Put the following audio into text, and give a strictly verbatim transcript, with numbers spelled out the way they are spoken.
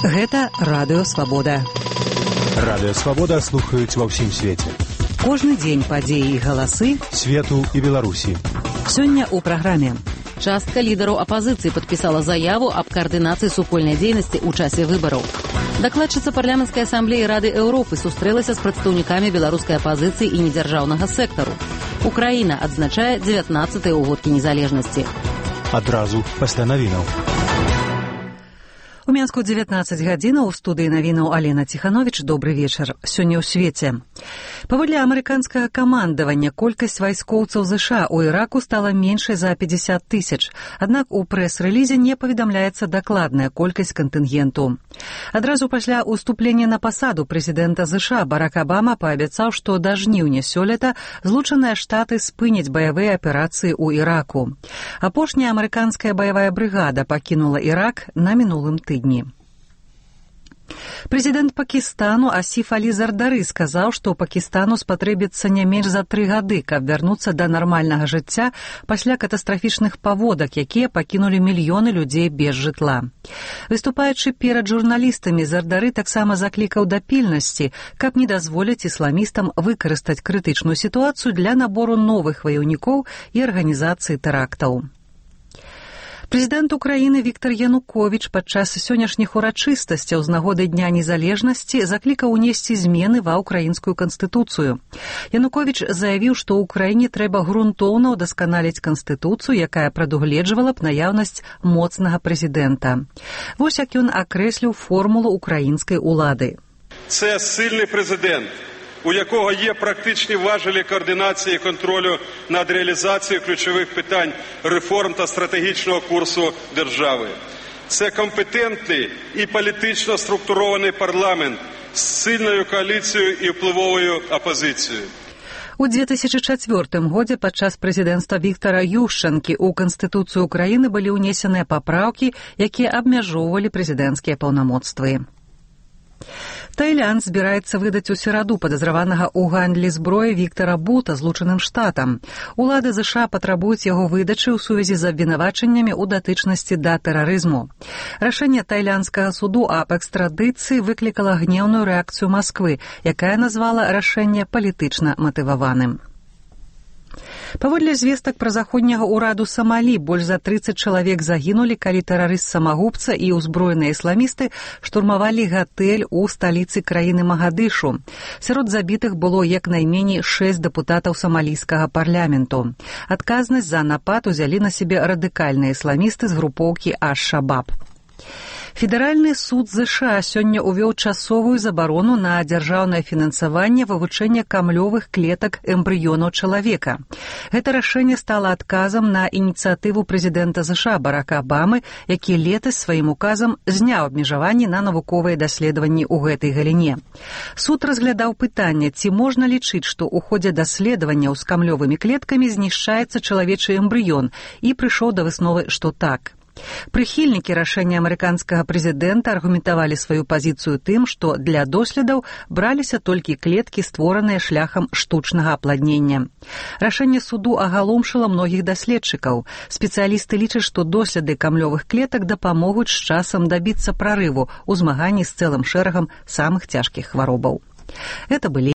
Гэта Радыё Свабода. Радыё Свабода слухаюць ва ўсім свеце. Кожны дзень падзеі і галасы свету і Беларусі. Сёння ў праграме. Частка лідараў апазіцыі падпісала заяву аб каардынацыі супольнай дзейнасці ў часе выбараў. Дакладчыца парламенцкай асамблеі Рады Еўропы сустрэлася з прадстаўнікамі беларускай апазіцыі і недзяржаўнага сектару. Украіна адзначае дзевятнаццатыя ўгодкі незалежнасці. Адразу пасля навінаў. У Менску дзевятнаццаць гадзінаў, у студыі навінаў Алена Ціхановіч. Добры вечар. Сёння ў свеце. Паводле амерыканскага камандавання, колькасць вайскоўцаў ЗША ў Іраку стала меншай за пятьдесят тысяч. Аднак у прэс-рэлізе не паведамляецца дакладная колькасць кантынгенту. Адразу пасля ўступлення на пасаду прэзідэнта ЗША Барак Абама паабяцаў, што да жніўня сёлета Злучаныя Штаты спыняць баявыя аперацыі ў Іраку. Апошняя амерыканская баявая брыгада пакінула Ірак на мінулым тыдні. Прэзідэнт Пакістану Асіф Алі Зардары сказаў, што Пакістану спатрэбіцца не менш за тры гады, каб вярнуцца да нармальнага жыцця пасля катастрафічных паводак, якія пакінулі мільёны людзей без жытла. Выступаючы перад журналістамі, Зардары таксама заклікаў да пільнасці, каб не дазволіць ісламістам выкарыстаць крытычную сітуацыю для набору новых ваяўнікоў і арганізацыі тэрактаў. Прэзідэнт Украіны Віктар Януковіч падчас сённяшніх урачыстасцяў з нагоды Дня незалежнасці заклікаў унесці змены ва ўкраінскую канстытуцыю. Януковіч заявіў, што ў краіне трэба грунтоўна ўдасканаліць канстытуцыю, якая прадугледжвала б наяўнасць моцнага прэзідэнта. Вось як ён акрэсліў формулу ўкраінскай улады. Це сильний президент, у якого є практичні важелі координації і контролю над реалізацією ключових питань реформ та стратегічного курсу держави. Це компетентний і політично структурований парламент з сильною коаліцією і впливовою опозицією. У две тысячи чацвёртым годзе падчас прэзідэнцтва Віктара Ющанкі ў Канстытуцыю Украіны былі ўнесеныя папраўкі, якія абмяжоўвалі прэзідэнцкія паўнамоцтвы. Таиланд збіраецца выдаць у сераду падазраванага ў гандлі зброі Віктара Бута Злучаным Штатам. Улады ЗША патрабуюць яго выдачы ў сувязі з абвінавачаннямі ў датычнасці да тэрарызму. Рашэнне тайландскага суду аб экстрадыцыі выклікала гнеўную рэакцыю Масквы, якая назвала рашэнне палітычна матываваным. Паводле звестак пра заходняга ўраду Самалі, больш за трыццаць чалавек загінулі, калі тэрарыст-самагубца і ўзброеныя ісламісты штурмавалі гатэль у сталіцы краіны Магадышу. Сярод забітых было як найменей шэсць дэпутатаў самалійскага парламенту. Адказнасць за напад узялі на сябе радыкальныя ісламісты з групоўкі Аш-Шабаб. Федэральны суд ЗША сёння ўвёў часовую забарону на дзяржаўнае фінансаванне вывучэння камлёвых клетак эмбрыёнаў чалавека. Гэта рашэнне стала адказам на ініцыятыву прэзідэнта ЗША Барака Абамы, які летась сваім указам зняў абмежаванні на навуковыя даследаванні ў гэтай галіне. Суд разглядаў пытанне, ці можна лічыць, што ў ходзе даследаванняў з камлёвымі клеткамі знішчаецца чалавечы эмбрыён, і прыйшоў да высновы, што так. Прыхільнікі рашэння амерыканскага прэзідэнта аргументавалі сваю пазіцыю тым, што для доследаў браліся толькі клеткі, створаныя шляхам штучнага апладнення. Рашэнне суду агаломшыла многіх даследчыкаў. Спецыялісты лічаць, што доследы камлёвых клетак дапамогуць з часам дабіцца прарыву ў змаганні з цэлым шэрагам самых цяжкіх хваробаў. Гэта былі